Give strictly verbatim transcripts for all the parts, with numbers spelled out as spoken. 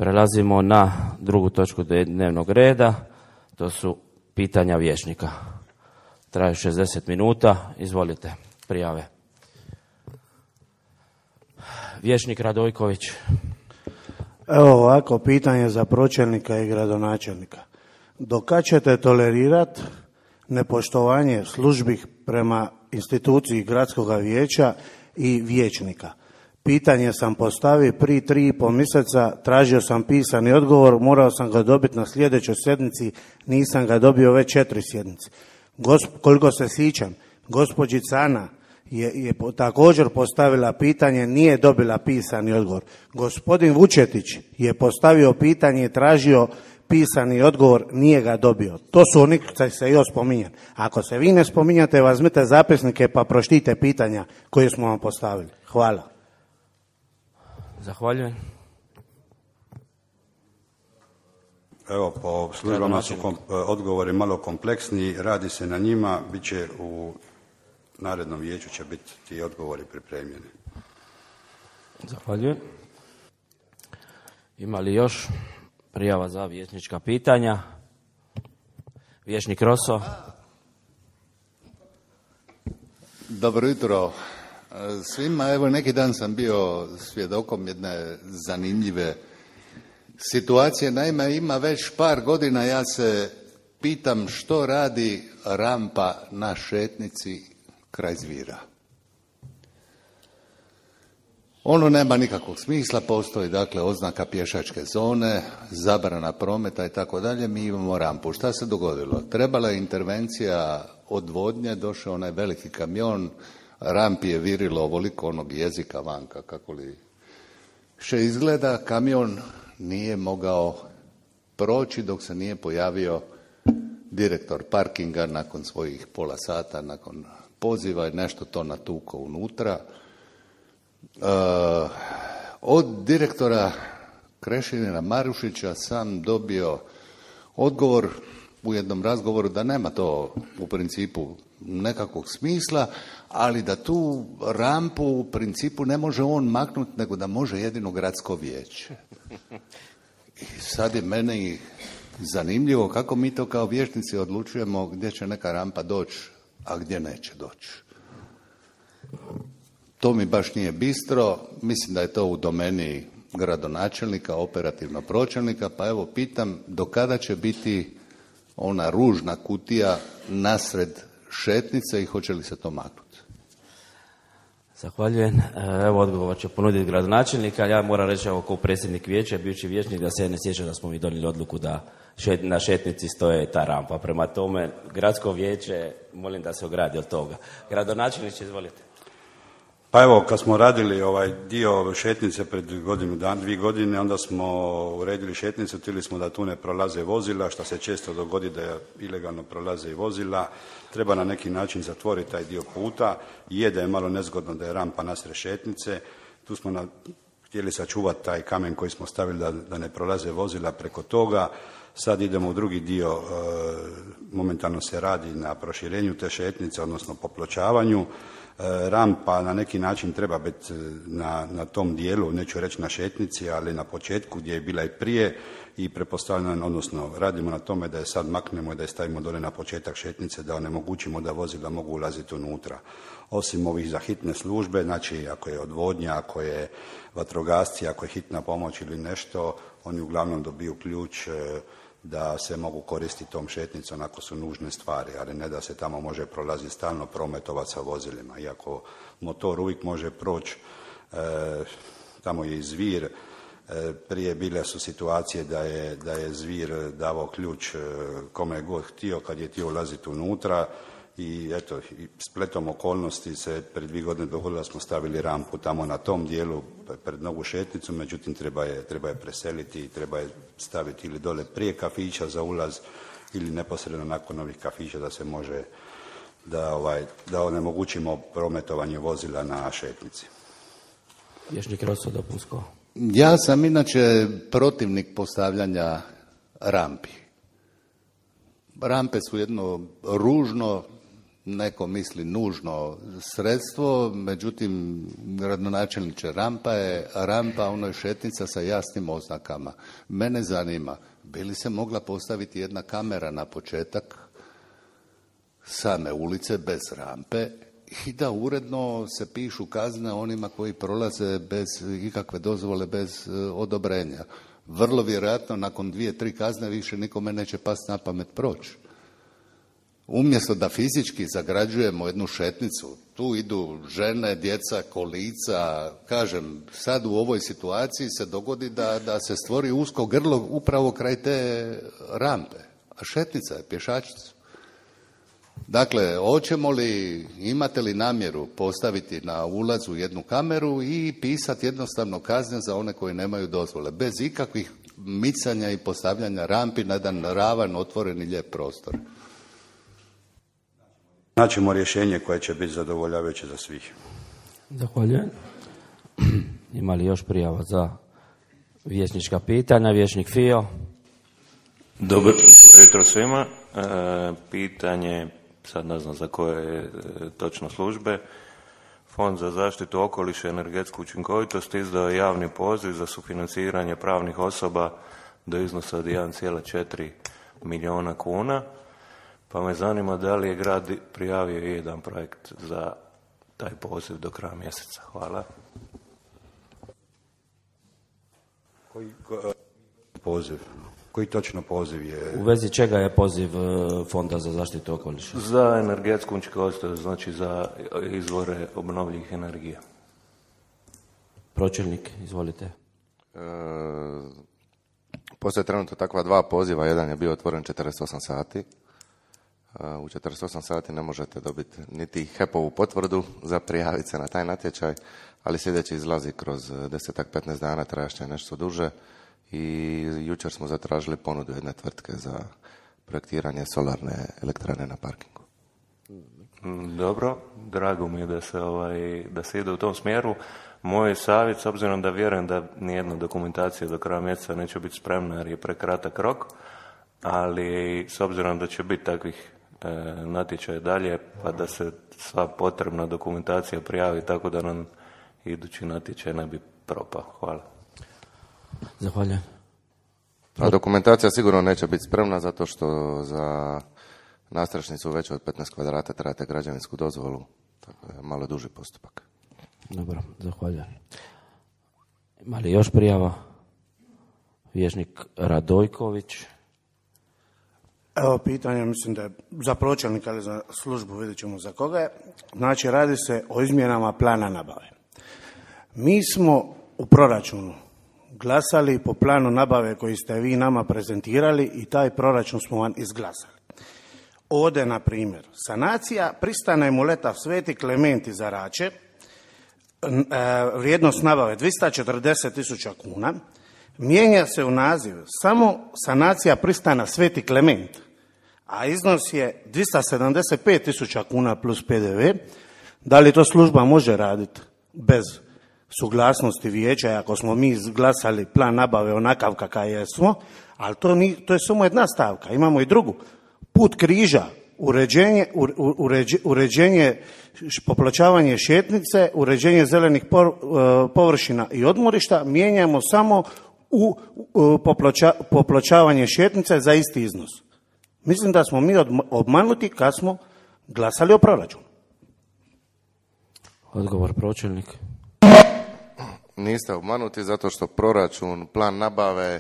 Prelazimo na drugu točku dnevnog reda, to su pitanja vijećnika. Traju šezdeset minuta, izvolite, prijave. Vijećnik Radojković. Evo ovako, pitanje za pročelnika i gradonačelnika. Do kad ćete tolerirati nepoštovanje službi prema instituciji gradskog vijeća i vijećnika? Pitanje sam postavio prije tri i pol mjeseca, tražio sam pisani odgovor, morao sam ga dobiti na sljedećoj sjednici, nisam ga dobio već četiri sjednice. Gosp, koliko se sjećam, gospođica Ana je, je također postavila pitanje, nije dobila pisani odgovor. Gospodin Vučetić je postavio pitanje i tražio pisani odgovor, nije ga dobio. To su oni koji se još spominju. Ako se vi ne spominjate, uzmite zapisnike pa pročitite pitanja koje smo vam postavili. Hvala. Zahvaljujem. Evo, po službama su kom, odgovori malo kompleksniji, radi se na njima, bit će u narednom vijeću će biti ti odgovori pripremljeni. Zahvaljujem. Ima li još prijava za vijećnička pitanja? Vijećnik Roso. Dobro jutro svima. Evo, neki dan sam bio svjedokom jedne zanimljive situacije. Naime, ima već par godina ja se pitam što radi rampa na šetnici kraj Zvira. Ono nema nikakvog smisla, postoji dakle oznaka pješačke zone, zabrana prometa i tako dalje, mi imamo rampu. Šta se dogodilo? Trebala je intervencija odvodnje, došao onaj veliki kamion, rampi je virilo ovoliko onog jezika vanka, kako li še izgleda, kamion nije mogao proći dok se nije pojavio direktor parkinga nakon svojih pola sata, nakon poziva je nešto to natuko unutra. Uh, od direktora Krešimira Marušića sam dobio odgovor u jednom razgovoru da nema to u principu nekakvog smisla, ali da tu rampu u principu ne može on maknuti, nego da može jedino gradsko vijeće. I sad je meni zanimljivo kako mi to kao vijećnici odlučujemo gdje će neka rampa doći, a gdje neće doći. To mi baš nije bistro, mislim da je to u domeni gradonačelnika, operativno pročelnika, pa evo pitam do kada će biti ona ružna kutija nasred šetnice i hoće li se to maknuti? Zahvaljujem. Evo odgovor će ponuditi gradonačelnik, ali ja moram reći evo kao predsjednik vijeća, bivši vijećnik, da se ne sjećam da smo mi donijeli odluku da šet, na šetnici stoje ta rampa. Prema tome, gradsko vijeće, molim da se ogradi od toga. Gradonačelnik, izvolite. Pa evo, kad smo radili ovaj dio šetnice pred godinu dan, dvije godine, onda smo uredili šetnicu, htjeli smo da tu ne prolaze vozila, što se često dogodi da ilegalno prolaze i vozila. Treba na neki način zatvoriti taj dio puta. Je da je malo nezgodno da je rampa nasred šetnice. Tu smo na, htjeli sačuvati taj kamen koji smo stavili da, da ne prolaze vozila preko toga. Sad idemo u drugi dio, e, momentalno se radi na proširenju te šetnice, odnosno popločavanju. Rampa na neki način treba biti na, na tom dijelu, neću reći na šetnici, ali na početku gdje je bila i prije i pretpostavljam, odnosno radimo na tome da je sad maknemo i da je stavimo dole na početak šetnice, da onemogućimo da vozila mogu ulaziti unutra. Osim ovih za hitne službe, znači ako je odvodnja, ako je vatrogasci, ako je hitna pomoć ili nešto, oni uglavnom dobiju ključ da se mogu koristiti tom šetnicom ako su nužne stvari, ali ne da se tamo može prolaziti stalno prometovati sa vozilima. Iako motor uvijek može proći, e, tamo je i Zvir, e, prije bile su situacije da je, da je Zvir davao ključ e, kome je god htio kad je htio ulaziti unutra i eto, i spletom okolnosti se pred dvije godine dogodilo da smo stavili rampu tamo na tom dijelu pred novu šetnicu, međutim treba je, treba je preseliti i treba je staviti ili dole prije kafića za ulaz ili neposredno nakon ovih kafića da se može, da, ovaj, da onemogućimo prometovanje vozila na šetnici. Vijećnik Roso, dopunsko. Ja sam inače protivnik postavljanja rampi. Rampe su jedno ružno, neko misli nužno sredstvo, međutim, gradonačelniče, rampa je rampa, ono je šetnica sa jasnim oznakama. Mene zanima, bi li se mogla postaviti jedna kamera na početak same ulice bez rampe i da uredno se pišu kazne onima koji prolaze bez ikakve dozvole, bez odobrenja. Vrlo vjerojatno nakon dvije, tri kazne više nikome neće pasti na pamet proći. Umjesto da fizički zagrađujemo jednu šetnicu, tu idu žene, djeca, kolica, kažem, sad u ovoj situaciji se dogodi da, da se stvori usko grlo upravo kraj te rampe, a šetnica je, pješačica. Dakle, hoćemo li, imate li namjeru postaviti na ulazu jednu kameru i pisati jednostavno kazne za one koji nemaju dozvole, bez ikakvih micanja i postavljanja rampi na jedan ravan, otvoren i lijep prostor? Naćemo rješenje koje će biti zadovoljavajuće za svih. Zahvaljujem. Ima li još prijava za vijećnička pitanja? Vijećnik Fio. Dobro jutro svima. E, pitanje, sad ne znam za koje e, točno službe. Fond za zaštitu okoliša i energetsku učinkovitost izdao je javni poziv za sufinanciranje pravnih osoba do iznosa od jedan zarez četiri milijuna kuna. Pa me zanima da li je grad prijavio jedan projekt za taj poziv do kraja mjeseca. Hvala. Koji ko, poziv? Koji točno poziv je? U vezi čega je poziv Fonda za zaštitu okoliša? Za energetsku učinkovitost, znači za izvore obnovljivih energija. Pročelnik, izvolite. E, postoje trenutno takva dva poziva. Jedan je bio otvoren četrdeset osam sati. U četrdeset osam sati ne možete dobiti niti H E P-ovu potvrdu za prijaviti se na taj natječaj, ali sljedeći izlazi kroz desetak petnaest dana, trajašće nešto duže i jučer smo zatražili ponudu jedne tvrtke za projektiranje solarne elektrane na parkingu. Dobro, drago mi je da se, ovaj, da se ide u tom smjeru. Moj savjet, s obzirom da vjerujem da nijedna dokumentacija do kraja mjeseca neće biti spremna jer je prekratak rok, ali s obzirom da će biti takvih e, natječaja dalje, pa da se sva potrebna dokumentacija prijavi tako da nam idući natječaj ne bi propao. Hvala. Zahvaljujem. A dokumentacija sigurno neće biti spremna zato što za nastrašnicu veće od petnaest kvadrata trebate građevinsku dozvolu, tako da je malo duži postupak. Dobro, zahvaljujem. Ima li još prijava? Vijećnik Radojković. Evo pitanje, mislim da je za pročelnika ili za službu, vidjet ćemo za koga je. Znači, radi se o izmjenama plana nabave. Mi smo u proračunu glasali po planu nabave koji ste vi nama prezentirali i taj proračun smo vam izglasali. Ovdje, na primjer, sanacija pristane Muleta Sveti Klement iz Zarače, vrijednost nabave dvjesto četrdeset tisuća kuna, mijenja se u naziv samo sanacija pristana Sveti Klement, a iznos je dvjesto sedamdeset pet tisuća kuna plus P D V. Da li to služba može raditi bez suglasnosti vijeća, ako smo mi izglasali plan nabave onakav kakav jesmo, ali to, ni, to je samo jedna stavka, imamo i drugu. Put križa, uređenje, uređenje, uređenje popločavanje šetnice, uređenje zelenih površina i odmorišta, mijenjamo samo u poploča, popločavanje šetnice za isti iznos. Mislim da smo mi obmanuti kad smo glasali o proračunu. Odgovor pročelnik. Niste obmanuti zato što proračun, plan nabave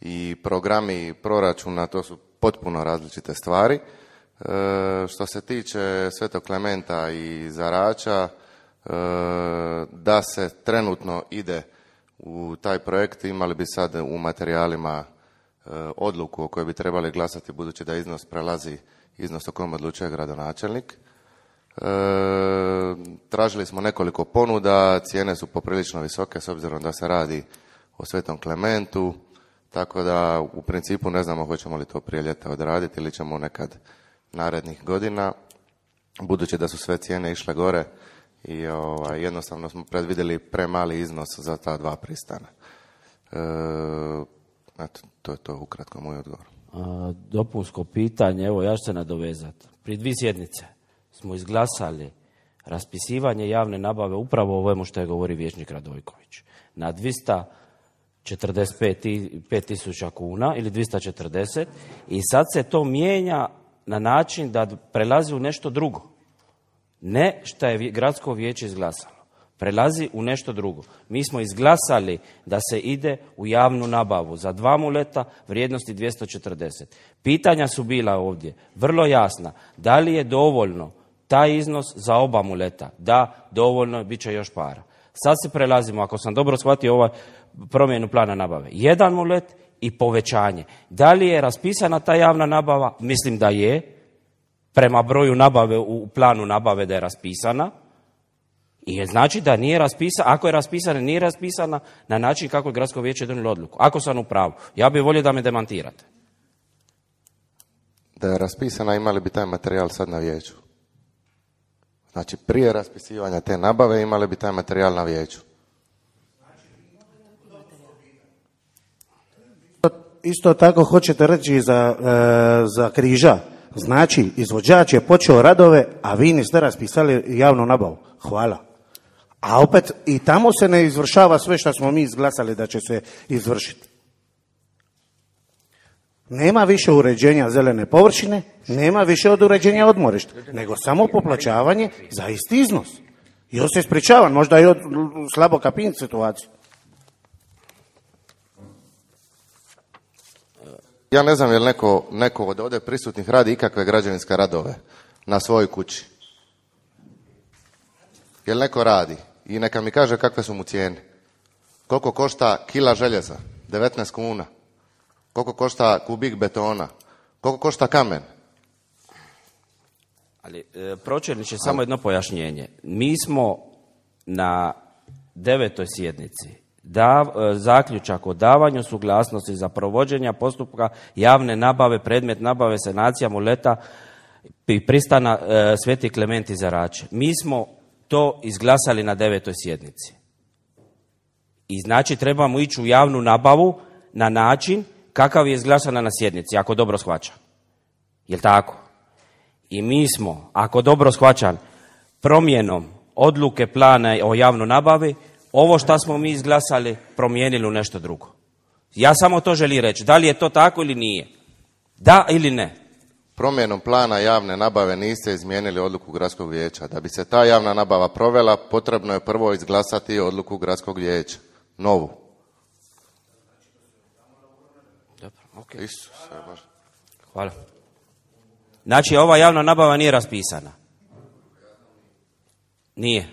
i programi proračuna to su potpuno različite stvari. E, što se tiče Svetog Klementa i Zarača, e, da se trenutno ide u taj projekt, imali bi sad u materijalima e, odluku o kojoj bi trebali glasati budući da iznos prelazi iznos o kojem odlučuje gradonačelnik. E, tražili smo nekoliko ponuda, cijene su poprilično visoke s obzirom da se radi o Svetom Klementu, tako da u principu ne znamo hoćemo li to prije ljeta odraditi ili ćemo nekad narednih godina, budući da su sve cijene išle gore i ovaj, jednostavno smo predvidjeli premali iznos za ta dva pristana. E, eto, to je to ukratko moj odgovor. A, dopunsko pitanje, evo ja ću se nadovezati. Pri dvije sjednice smo izglasali raspisivanje javne nabave upravo o ovome što je govori vijećnik Radojković. Na dvjesto četrdeset pet tisuća kuna ili dvjesto četrdeset i sad se to mijenja na način da prelazi u nešto drugo. Ne što je gradsko vijeće izglasalo. Prelazi u nešto drugo. Mi smo izglasali da se ide u javnu nabavu za dva muleta vrijednosti dvjesto četrdeset. Pitanja su bila ovdje vrlo jasna. Da li je dovoljno taj iznos za oba muleta? Da, dovoljno, bit će još para. Sad se prelazimo, ako sam dobro shvatio ovaj promjenu plana nabave. Jedan mulet i povećanje. Da li je raspisana ta javna nabava? Mislim da je. Prema broju nabave u planu nabave da je raspisana. I je znači da nije raspisana, ako je raspisana, nije raspisana na način kako je gradsko vijeće donijelo odluku. Ako sam u pravu, ja bih volio da me demantirate. Da je raspisana, imali bi taj materijal sad na vijeću. Znači, prije raspisivanja te nabave imali bi taj materijal na vijeću. Isto tako hoćete reći za, e, za Križa. Znači, izvođač je počeo radove, a vi niste raspisali javnu nabavu. Hvala. A opet i tamo se ne izvršava sve što smo mi izglasali da će se izvršiti. Nema više uređenja zelene površine, nema više od uređenja odmorišta, nego samo poplaćavanje za isti iznos. I on se ispričavam, možda i od slabo kapin situaciju. Ja ne znam je li neko, neko od ovdje prisutnih radi ikakve građevinske radove na svojoj kući. Je li neko radi? I neka mi kaže kakve su mu cijene. Koliko košta kila željeza? devetnaest kuna. Koliko košta kubik betona? Koliko košta kamen? Ali, e, pročelniče, samo jedno pojašnjenje. Mi smo na devetoj sjednici da, e, zaključak o davanju suglasnosti za provođenje postupka javne nabave, predmet nabave, sanacija muleta i pristana e, Sveti Klement iz Arače. Mi smo to izglasali na devetoj sjednici. I znači trebamo ići u javnu nabavu na način kakav je izglasana na sjednici, ako dobro shvaćam. Jel' tako? I mi smo, ako dobro shvaćam, promjenom odluke plana o javnoj nabavi, ovo što smo mi izglasali promijenili u nešto drugo. Ja samo to želim reći. Da li je to tako ili nije? Da ili ne? Promjenom plana javne nabave niste izmijenili odluku gradskog vijeća. Da bi se ta javna nabava provela, potrebno je prvo izglasati odluku gradskog vijeća. Novu. Dobro, okay. Isuse, Bože. Hvala. Znači, ova javna nabava nije raspisana? Nije.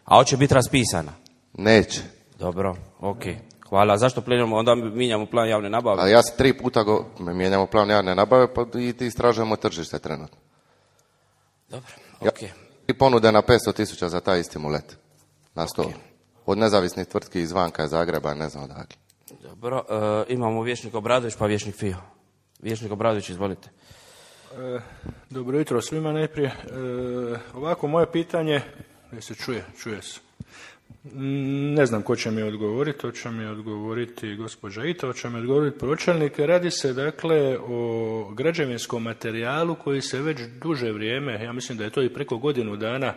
A hoće biti raspisana? Neće. Dobro, ok. Hvala. Zašto plenimo, onda mijenjamo plan javne nabave? A ja se tri puta go, mijenjamo plan javne nabave pa i ti istražujemo tržište trenutno. Dobro, ok. Ja, i ponude na petsto tisuća za taj isti mulet. Na sto. Okay. Od nezavisnih tvrtki izvanka Zagreba, ne znam odakle. Dobro, e, imamo vijećnik Obradović pa vijećnik Fio. Vijećnik Obradović, izvolite. E, dobro jutro svima najprije. E, ovako, moje pitanje, je se čuje, čuje se. Ne znam ko će mi odgovoriti, to će mi odgovoriti gospođa Ita, to će mi odgovoriti pročelnik. Radi se dakle o građevinskom materijalu koji se već duže vrijeme, ja mislim da je to i preko godinu dana, e,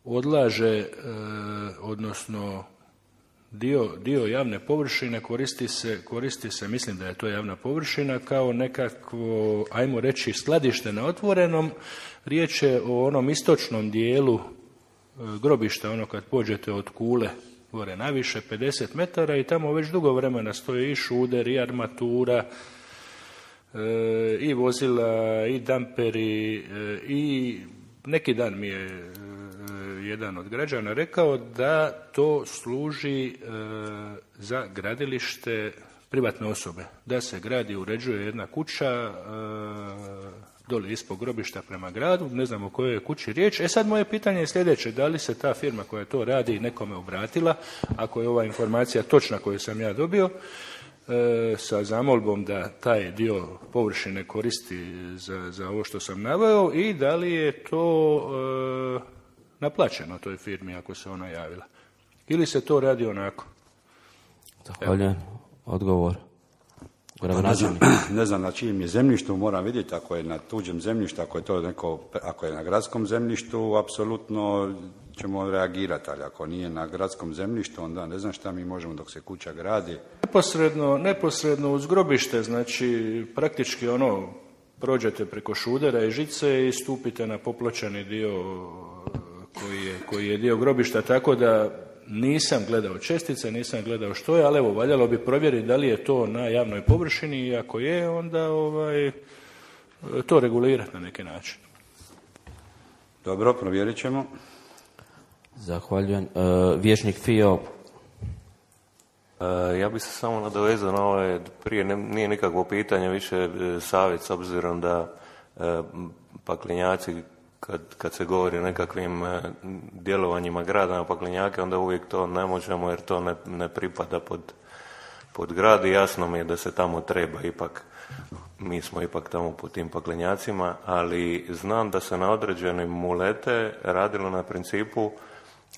odlaže, e, odnosno dio, dio javne površine koristi se, koristi se, mislim da je to javna površina, kao nekakvo, ajmo reći, skladište na otvorenom. Riječ je o onom istočnom dijelu e, grobišta, ono kad pođete od Kule gore naviše, pedeset metara, i tamo već dugo vremena stoje i šuder, i armatura, e, i vozila, i damperi, e, i neki dan mi je e, jedan od građana rekao da to služi e, za gradilište privatne osobe, da se gradi, uređuje jedna kuća e, doli ispod grobišta prema gradu, ne znam o kojoj je kući riječ. E sad moje pitanje je sljedeće, da li se ta firma koja to radi nekome obratila, ako je ova informacija točna koju sam ja dobio, e, sa zamolbom da taj dio površine koristi za, za ovo što sam naveo, i da li je to e, naplaćeno toj firmi ako se ona javila. Ili se to radi onako? Zahvaljujem. Odgovor. Ne znam, ne znam na čijem je zemljištu, moram vidjeti ako je na tuđem zemljištu, ako je to neko, ako je na gradskom zemljištu, apsolutno ćemo reagirati, ali ako nije na gradskom zemljištu, onda ne znam šta mi možemo dok se kuća gradi. Neposredno, neposredno uz grobište, znači praktički ono, prođete preko šudera i žice i stupite na popločani dio koji je, koji je dio grobišta, tako da nisam gledao čestice, nisam gledao što je, ali evo, valjalo bi provjeriti da li je to na javnoj površini i ako je, onda ovaj, to regulirati na neki način. Dobro, provjerit ćemo. Zahvaljujem. E, Vijećnik Fio. E, ja bih se samo nadovezao na ovo, prije ne, nije nikakvo pitanje, više e, savjet, s obzirom da e, paklenjaci, kad, kad se govori o nekakvim e, djelovanjima grada na paklenjake, onda uvijek to ne možemo jer to ne, ne pripada pod, pod grad i jasno mi je da se tamo treba ipak, mi smo ipak tamo po tim paklenjacima, ali znam da se na određene mulete radilo na principu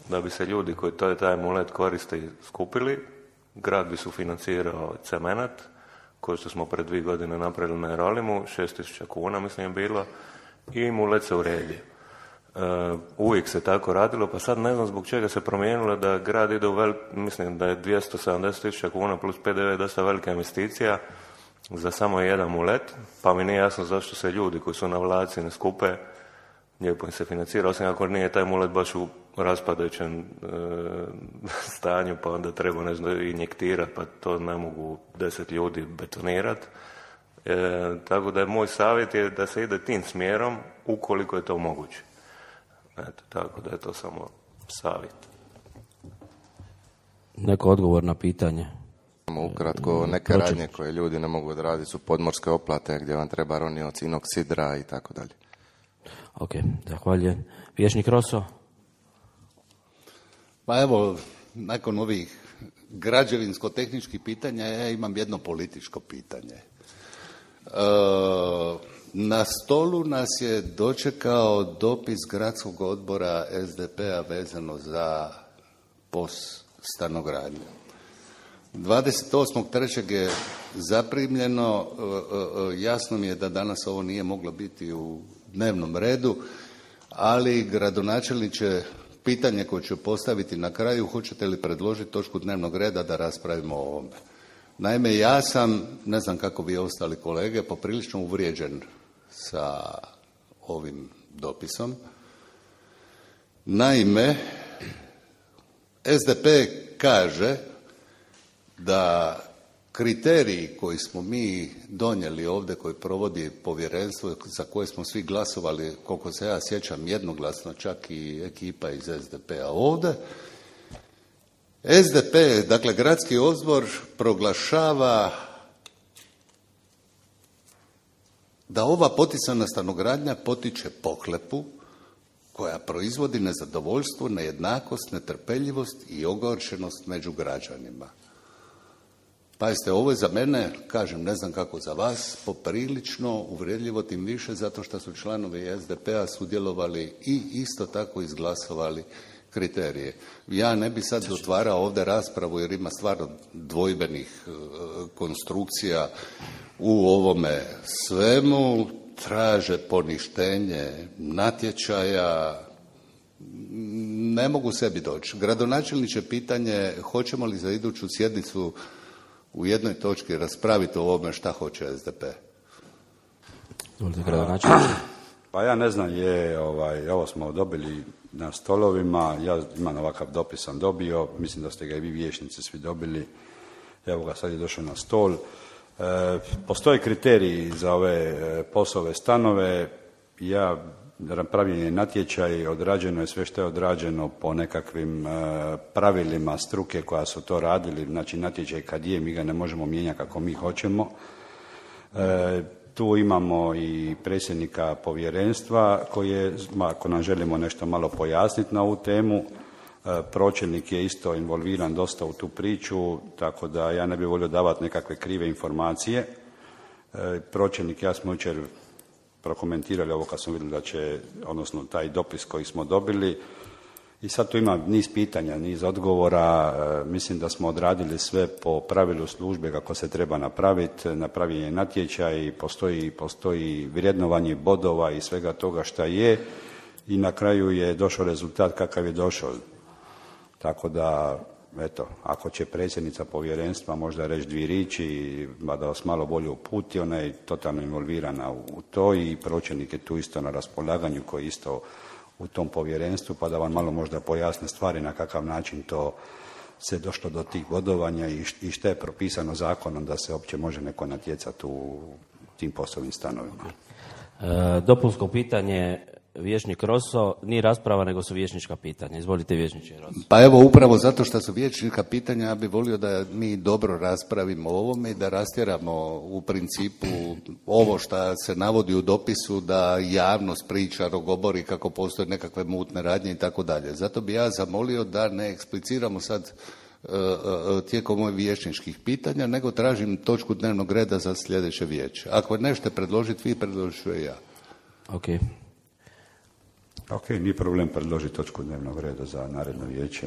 da bi se ljudi koji to, taj mulet koriste skupili, grad bi sufinancirao cemenat, koji što smo pred dvije godine napravili na Jerolimu, šest tisuća kuna mislim je bilo, i mulet se uredio. Uh, uvijek se tako radilo, pa sad ne znam zbog čega se promijenilo da grad ide u velik, mislim da je dvjesto sedamdeset tisuća kuna plus P D V dosta velika investicija za samo jedan mulet, pa mi nije jasno zašto se ljudi koji su na vlaci ne skupe, lijepo im se financira, osim ako nije taj mulet baš u raspadajućem e, stanju, pa onda treba nešto injektirati, pa to ne mogu deset ljudi betonirati. E, tako da je moj savjet je da se ide tim smjerom ukoliko je to moguće. Eto, tako da je to samo savjet. Neko odgovor na pitanje? Ukratko, neke radnje koje ljudi ne mogu odraditi su podmorske oplate gdje vam treba ronioc, inoksidra i tako dalje. Ok, zahvaljujem. Vijećnik Roso? Pa evo, nakon ovih građevinsko-tehničkih pitanja, ja imam jedno političko pitanje. E, na stolu nas je dočekao dopis gradskog odbora S D P-a vezano za P O S stanogradnju. dvadeset osmog trećeg je zaprimljeno, jasno mi je da danas ovo nije moglo biti u dnevnom redu, ali gradonačelniče, pitanje koje ću postaviti na kraju, hoćete li predložiti točku dnevnog reda da raspravimo o ovome? Naime, ja sam, ne znam kako vi ostali kolege, poprilično uvrijeđen sa ovim dopisom. Naime, S D P kaže da kriteriji koji smo mi donijeli ovdje, koji provodi povjerenstvo, za koje smo svi glasovali, koliko se ja sjećam, jednoglasno, čak i ekipa iz S D P-a ovdje, S D P, dakle gradski odbor, proglašava da ova poticana stanogradnja potiče pohlepu koja proizvodi nezadovoljstvo, nejednakost, netrpeljivost i ogorčenost među građanima. Pazite, ovo je za mene, kažem, ne znam kako za vas, poprilično uvredljivo, tim više zato što su članovi S D P-a sudjelovali i isto tako izglasovali kriterije. Ja ne bi sad otvarao ovdje raspravu jer ima stvarno dvojbenih e, konstrukcija u ovome svemu, traže poništenje natječaja, ne mogu sebi doći. Gradonačelniče, pitanje, hoćemo li za iduću sjednicu u jednoj točki raspraviti o ovome šta hoće S D P? Pa ja ne znam, je, ovaj, ovo smo dobili na stolovima, ja imam ovakav dopis sam dobio, mislim da ste ga i vi vijećnici svi dobili, evo ga sad je došao na stol. E, postoje kriteriji za ove e, POS-ove stanove, ja napravljen je natječaj, odrađeno je sve što je odrađeno po nekakvim e, pravilima struke koja su to radili, znači natječaj kad je, mi ga ne možemo mijenjati kako mi hoćemo. E, tu imamo i predsjednika povjerenstva koji je, ako nam želimo nešto malo pojasniti na ovu temu, e, pročelnik je isto involviran dosta u tu priču, tako da ja ne bih volio davati nekakve krive informacije. E, pročelnik, ja smo jučer prokomentirali ovo kad smo vidjeli da će, odnosno taj dopis koji smo dobili, I sad tu ima niz pitanja, niz odgovora, e, mislim da smo odradili sve po pravilu službe kako se treba napraviti, napravljen je natječaj, postoji, postoji vrijednovanje bodova i svega toga šta je i na kraju je došao rezultat kakav je došao. Tako da, eto, ako će predsjednica povjerenstva možda reći dvije riječi, da vas malo bolje uputi, ona je totalno involvirana u to i pročelnik je tu isto na raspolaganju koji isto u tom povjerenstvu, pa da vam malo možda pojasne stvari na kakav način to se došlo do tih bodovanja i šta je propisano zakonom da se uopće može neko natjecati u tim poslovnim stanovima. E, dopunsko pitanje, vijećnik Roso, nije rasprava nego su vijećnička pitanja. Izvolite, vijećniče Roso. Pa evo, upravo zato što su vijećnička pitanja, ja bih volio da mi dobro raspravimo o ovome i da rastjeramo u principu ovo što se navodi u dopisu, da javnost priča, rogobori kako postoje nekakve mutne radnje i tako dalje. Zato bi ja zamolio da ne ekspliciramo sad tijekom ovih vijećničkih pitanja, nego tražim točku dnevnog reda za sljedeće vijeće. Ako nešto predložiti vi, predložit ću ja. Ok. Ok, nije problem predložiti točku dnevnog reda za naredno vijeće.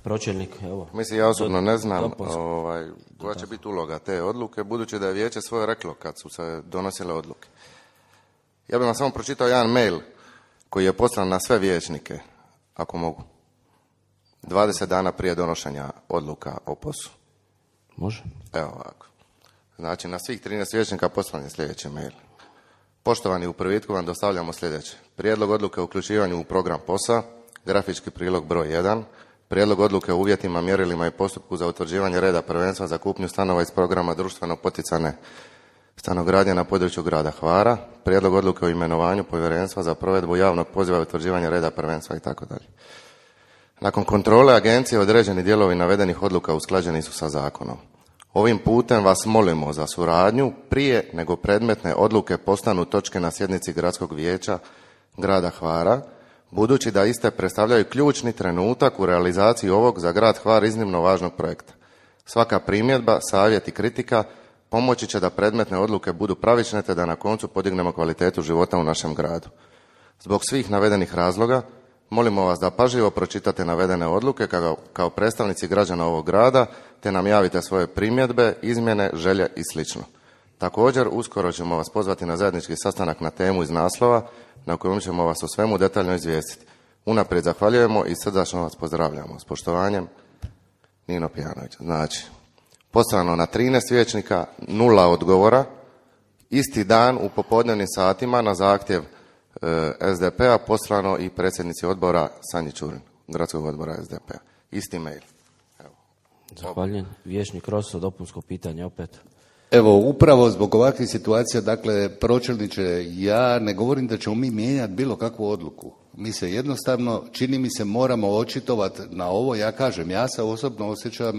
Pročelnik, evo. Mislim, ja osobno ne znam ovaj, koja će biti uloga te odluke, budući da je vijeće svoje reklo kad su se donosile odluke. Ja bih vam samo pročitao jedan mail koji je poslan na sve vijećnike, ako mogu, dvadeset dana prije donošenja odluka o posu. Može. Evo ovako. Znači, na svih trinaest vijećnika poslan je sljedeći mail. Poštovani, u prvitku vam dostavljamo sljedeće. Prijedlog odluke o uključivanju u program posa, grafički prilog broj jedan, prijedlog odluke o uvjetima, mjerilima i postupku za utvrđivanje reda prvenstva za kupnju stanova iz programa društveno poticane stanogradnje na području grada Hvara, prijedlog odluke o imenovanju povjerenstva za provedbu javnog poziva i utvrđivanje reda prvenstva itd. Nakon kontrole agencije određeni dijelovi navedenih odluka usklađeni su sa zakonom. Ovim putem vas molimo za suradnju prije nego predmetne odluke postanu točke na sjednici Gradskog vijeća grada Hvara, budući da iste predstavljaju ključni trenutak u realizaciji ovog za grad Hvar iznimno važnog projekta. Svaka primjedba, savjet i kritika pomoći će da predmetne odluke budu pravične te da na koncu podignemo kvalitetu života u našem gradu. Zbog svih navedenih razloga molimo vas da pažljivo pročitate navedene odluke kao, kao predstavnici građana ovog grada, te nam javite svoje primjedbe, izmjene, želje i sl. Također, uskoro ćemo vas pozvati na zajednički sastanak na temu iz naslova, na kojem ćemo vas o svemu detaljno izvijestiti. Unaprijed zahvaljujemo i srdačno vas pozdravljamo. S poštovanjem, Nino Pijanović. Znači, poslano na trinaest vijećnika, nula odgovora, isti dan u popodnevnim satima na zahtjev S D P-a poslano i predsjednici odbora Sanji Čurin, gradskog odbora S D P-a. Isti mail. Evo. Zahvaljujem. Vijećnik Roso, dopunsko pitanje opet. Evo, upravo zbog ovakvih situacija, dakle, pročelniče, ja ne govorim da ćemo mi mijenjati bilo kakvu odluku. Mi se jednostavno, čini mi se, moramo očitovati na ovo. Ja kažem, ja se osobno osjećam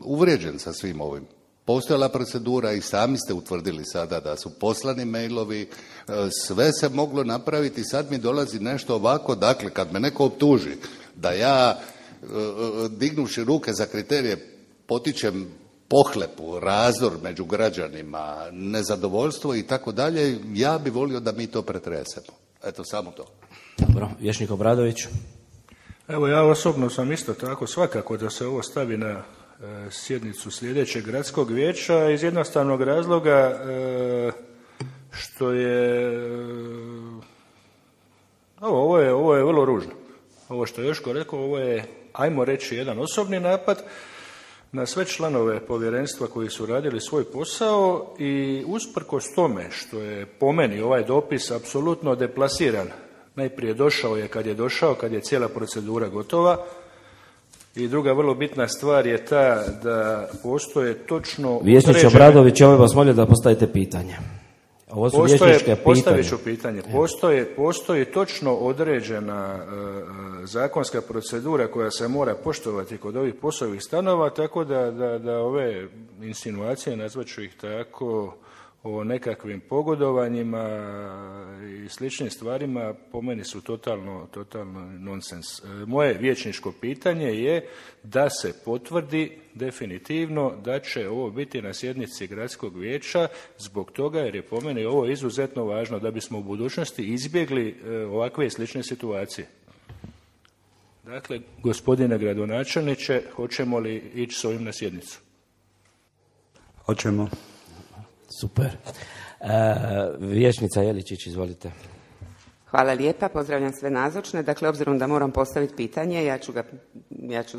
uvrijeđen sa svim ovim. Postojala procedura i sami ste utvrdili sada da su poslani mailovi, sve se moglo napraviti, sad mi dolazi nešto ovako. Dakle, kad me neko optuži da ja, dignuši ruke za kriterije, potičem pohlepu, razdor među građanima, nezadovoljstvo i tako dalje, ja bi volio da mi to pretresemo. Eto, samo to. Dobro, vijećnik Obradović. Evo, ja osobno sam isto tako svakako da se ovo stavi na e, sjednicu sljedećeg gradskog vijeća iz jednostavnog razloga e, što je ovo, ovo je ovo je vrlo ružno. Ovo što je Joško rekao, ovo je, ajmo reći, jedan osobni napad na sve članove povjerenstva koji su radili svoj posao i usprkos tome što je po meni ovaj dopis apsolutno deplasiran. Najprije došao je kad je došao, kad je cijela procedura gotova. I druga vrlo bitna stvar je ta da postoje točno... Vijećniče Obradović, ja bih vas molio da postavite pitanje. Ovo su vijećničke pitanja. Postavit ću pitanje. Postoje, postoji točno određena uh, zakonska procedura koja se mora poštovati kod ovih poslovnih stanova, tako da, da, da ove insinuacije, nazvaću ih tako, o nekakvim pogodovanjima i sličnim stvarima po meni su totalno, totalno nonsens. Moje vijećničko pitanje je da se potvrdi definitivno da će ovo biti na sjednici gradskog vijeća zbog toga jer je po meni ovo izuzetno važno da bismo u budućnosti izbjegli ovakve i slične situacije. Dakle, gospodine gradonačelniče, hoćemo li ići s ovim na sjednicu? Hoćemo. Super. E, vijećnica Jeličić, izvolite. Hvala lijepa, pozdravljam sve nazočne. Dakle, obzirom da moram postaviti pitanje, ja ću ga ja ću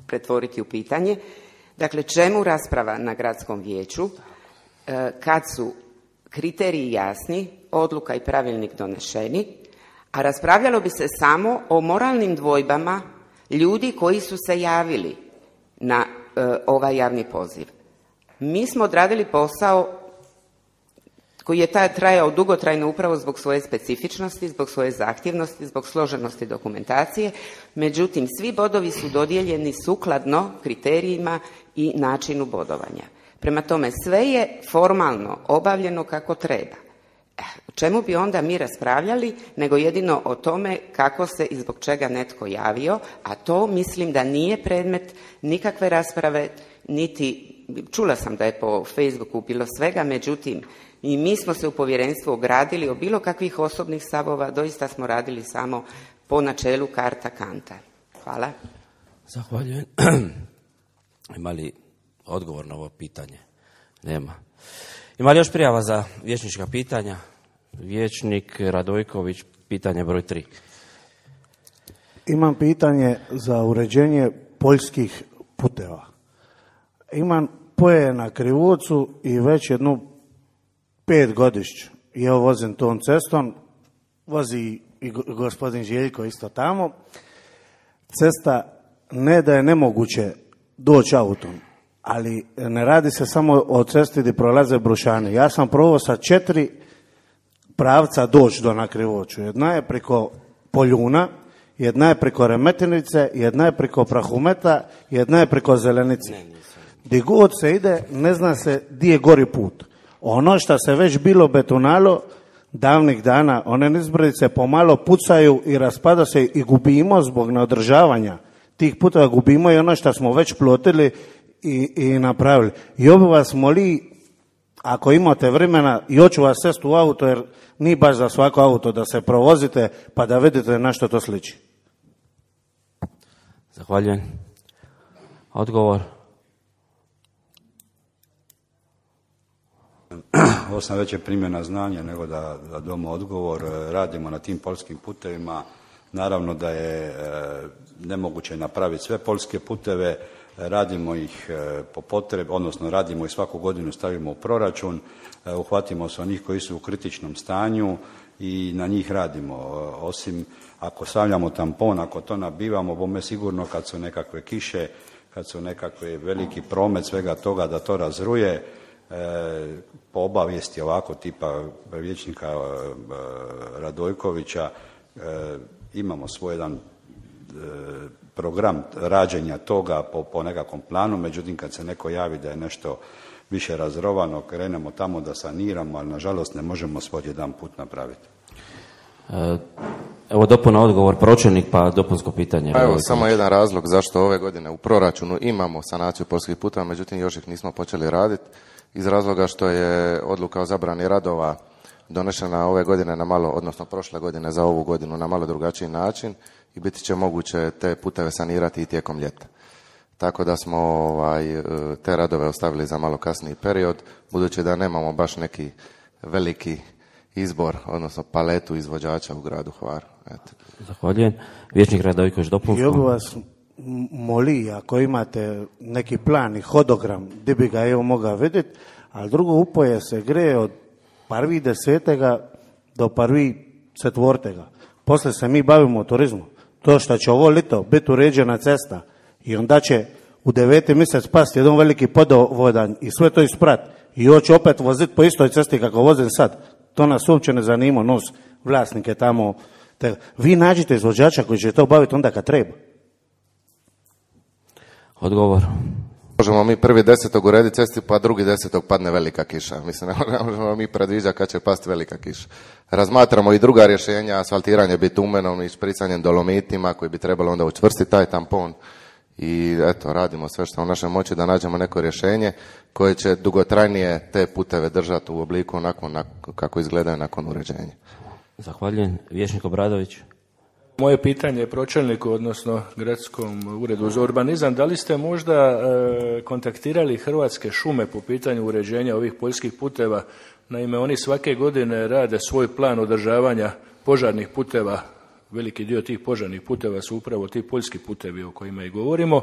pretvoriti u pitanje. Dakle, čemu rasprava na gradskom vijeću e, kad su kriteriji jasni, odluka i pravilnik donešeni, a raspravljalo bi se samo o moralnim dvojbama ljudi koji su se javili na e, ovaj javni poziv. Mi smo odradili posao koji je taj trajao dugotrajno upravo zbog svoje specifičnosti, zbog svoje zahtjevnosti, zbog složenosti dokumentacije. Međutim, svi bodovi su dodijeljeni sukladno kriterijima i načinu bodovanja. Prema tome, sve je formalno obavljeno kako treba. O čemu bi onda mi raspravljali, nego jedino o tome kako se i zbog čega netko javio, a to mislim da nije predmet nikakve rasprave, niti, čula sam da je po Facebooku bilo svega, međutim, i mi smo se u povjerenstvu ogradili o bilo kakvih osobnih stavova, doista smo radili samo po načelu karta kanta. Hvala. Zahvaljujem. Ima li odgovor na ovo pitanje? Nema. Ima li još prijava za vijećnička pitanja? Vijećnik Radojković, pitanje broj tri. Imam pitanje za uređenje poljskih puteva. Imam poje na Krivovcu i već jednu pet godišć ja vozim tom cestom, vozi i gospodin Željko isto tamo. Cesta ne da je nemoguće doći autom, ali ne radi se samo o cesti gdje prolaze brušani. Ja sam probao sa četiri pravca doći do na Krivoću. Jedna je preko Poljuna, jedna je preko Remetinice, jedna je preko Prahumeta, jedna je preko Zelenice. Gdje god se ide, ne zna se gdje je gori put. Ono što se već bilo betonalo davnih dana, one nizbrdice pomalo pucaju i raspada se i gubimo zbog neodržavanja tih puteva, gubimo i ono što smo već plotili i, i napravili. I obi vas moli, ako imate vremena, i hoću vas sest u auto, jer nije baš za svako auto da se provozite pa da vidite na što to sliči. Zahvaljujem. Odgovor. Ovo sam već je primjena znanja nego da, da damo odgovor. Radimo na tim poljskim putevima. Naravno da je e, nemoguće napraviti sve poljske puteve. Radimo ih e, po potrebi, odnosno radimo ih svaku godinu, stavimo u proračun. E, uhvatimo se onih koji su u kritičnom stanju i na njih radimo. E, osim ako stavljamo tampon, ako to nabivamo, bome sigurno kad su nekakve kiše, kad su nekakve veliki promet svega toga da to razruje. E, po obavijesti ovako tipa vijećnika e, Radojkovića e, imamo svoj jedan e, program rađenja toga po, po nekakvom planu, međutim kad se neko javi da je nešto više razrovano, krenemo tamo da saniramo, ali nažalost ne možemo svoj jedan put napraviti. E, evo dopuna odgovor, pročelnik pa dopunsko pitanje. Pa evo, samo jedan razlog zašto ove godine u proračunu imamo sanaciju poljskih puteva, međutim još ih nismo počeli raditi. Iz razloga što je odluka o zabrani radova donešena ove godine na malo, odnosno prošle godine za ovu godinu na malo drugačiji način i biti će moguće te puteve sanirati i tijekom ljeta. Tako da smo ovaj, te radove ostavili za malo kasniji period, budući da nemamo baš neki veliki izbor, odnosno paletu izvođača u gradu Hvaru. Eto. Zahvaljujem. Vijećnik Radojković, dopunsko. Ja bih vas moli, ako imate neki plan i hodogram, gdje bi ga evo mogao vidjeti, ali drugo upoje se greje od prvi desetega do prvi četvrtega. Poslije se mi bavimo turizmom. To što će ovo lito biti uređena cesta i onda će u deveti mjesec pasti jedan veliki podovodan i sve to isprat i hoće opet voziti po istoj cesti kako vozim sad. To nas uopće ne zanima, nos vlasnike tamo. Te, vi nađite izvođača koji će to baviti onda kad treba. Odgovor. Možemo mi prvi desetog urediti cesti, pa drugi desetog padne velika kiša. Mislim, ne možemo mi predviđati kad će pasti velika kiša. Razmatramo i druga rješenja, asfaltiranje bitumenom i špricanjem dolomitima koji bi trebalo onda učvrstiti taj tampon. I eto, radimo sve što je u našoj moći da nađemo neko rješenje koje će dugotrajnije te puteve držati u obliku onako kako izgledaju nakon uređenja. Zahvaljujem. Vijećnik Obradović. Moje pitanje je pročelniku, odnosno Gradskom uredu za urbanizam. Da li ste možda e, kontaktirali Hrvatske šume po pitanju uređenja ovih poljskih puteva? Naime, oni svake godine rade svoj plan održavanja požarnih puteva. Veliki dio tih požarnih puteva su upravo ti poljski putevi o kojima i govorimo,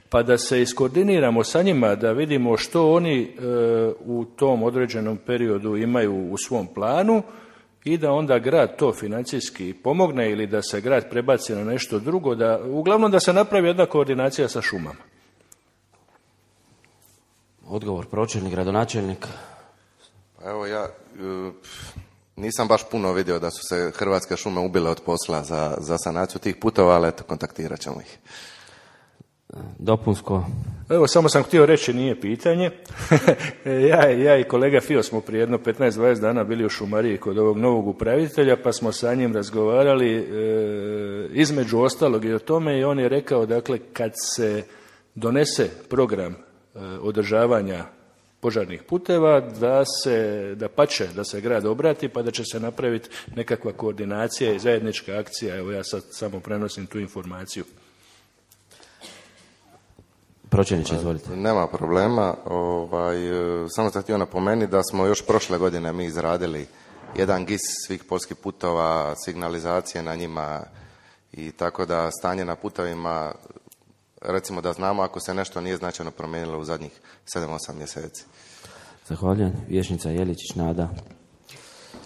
pa da se iskoordiniramo sa njima, da vidimo što oni e, u tom određenom periodu imaju u svom planu i da onda grad to financijski pomogne ili da se grad prebaci na nešto drugo, da, uglavnom da se napravi jedna koordinacija sa šumama. Odgovor, pročelnik, gradonačelnik. Evo ja e, nisam baš puno vidio da su se Hrvatske šume ubile od posla za, za sanaciju tih putova, ali eto, kontaktirat ćemo ih. Dopunsko. Evo, samo sam htio reći, nije pitanje. ja, ja i kolega Fio smo prije jedno petnaest dvadeset dana bili u šumariji kod ovog novog upravitelja, pa smo sa njim razgovarali e, između ostalog i o tome, i on je rekao, dakle, kad se donese program e, održavanja požarnih puteva, da se, da pače, da se grad obrati, pa da će se napraviti nekakva koordinacija i zajednička akcija. Evo, ja sad samo prenosim tu informaciju. Pročelniče, izvolite. Nema problema. Ovaj, samo sam htio napomenuti da smo još prošle godine mi izradili jedan gis svih poljskih putova, signalizacije na njima, i tako da stanje na putovima, recimo da znamo ako se nešto nije značajno promijenilo u zadnjih sedam osam mjeseci. Zahvaljujem. Vijećnica Jeličić, Nada.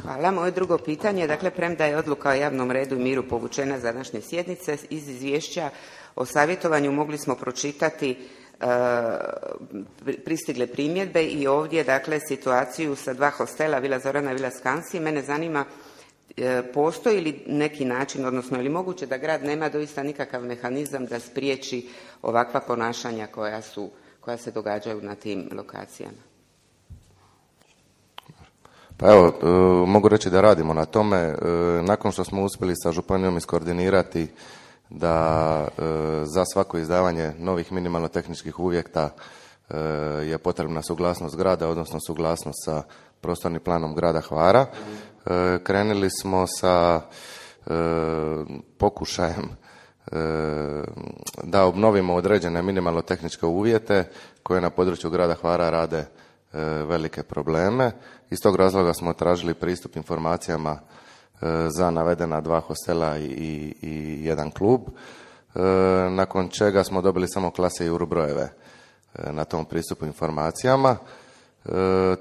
Hvala. Moje drugo pitanje, dakle, premda je odluka o javnom redu i miru povučena za današnje sjednice, iz izvješća o savjetovanju mogli smo pročitati e, pristigle primjedbe i ovdje, dakle, situaciju sa dva hostela, Vila Zorana i Vila Skansi. Mene zanima, e, postoji li neki način, odnosno je li moguće da grad nema doista nikakav mehanizam da spriječi ovakva ponašanja koja su, koja se događaju na tim lokacijama? Pa evo, e, mogu reći da radimo na tome. E, nakon što smo uspjeli sa županijom iskoordinirati da e, za svako izdavanje novih minimalno tehničkih uvjeta e, je potrebna suglasnost grada, odnosno suglasnost sa prostornim planom grada Hvara. E, krenuli smo sa e, pokušajem e, da obnovimo određene minimalno tehničke uvjete koje na području grada Hvara rade e, velike probleme. Iz tog razloga smo tražili pristup informacijama za navedena dva hostela i, i, i jedan klub, e, nakon čega smo dobili samo klase i urubrojeve e, na tom pristupu informacijama. E,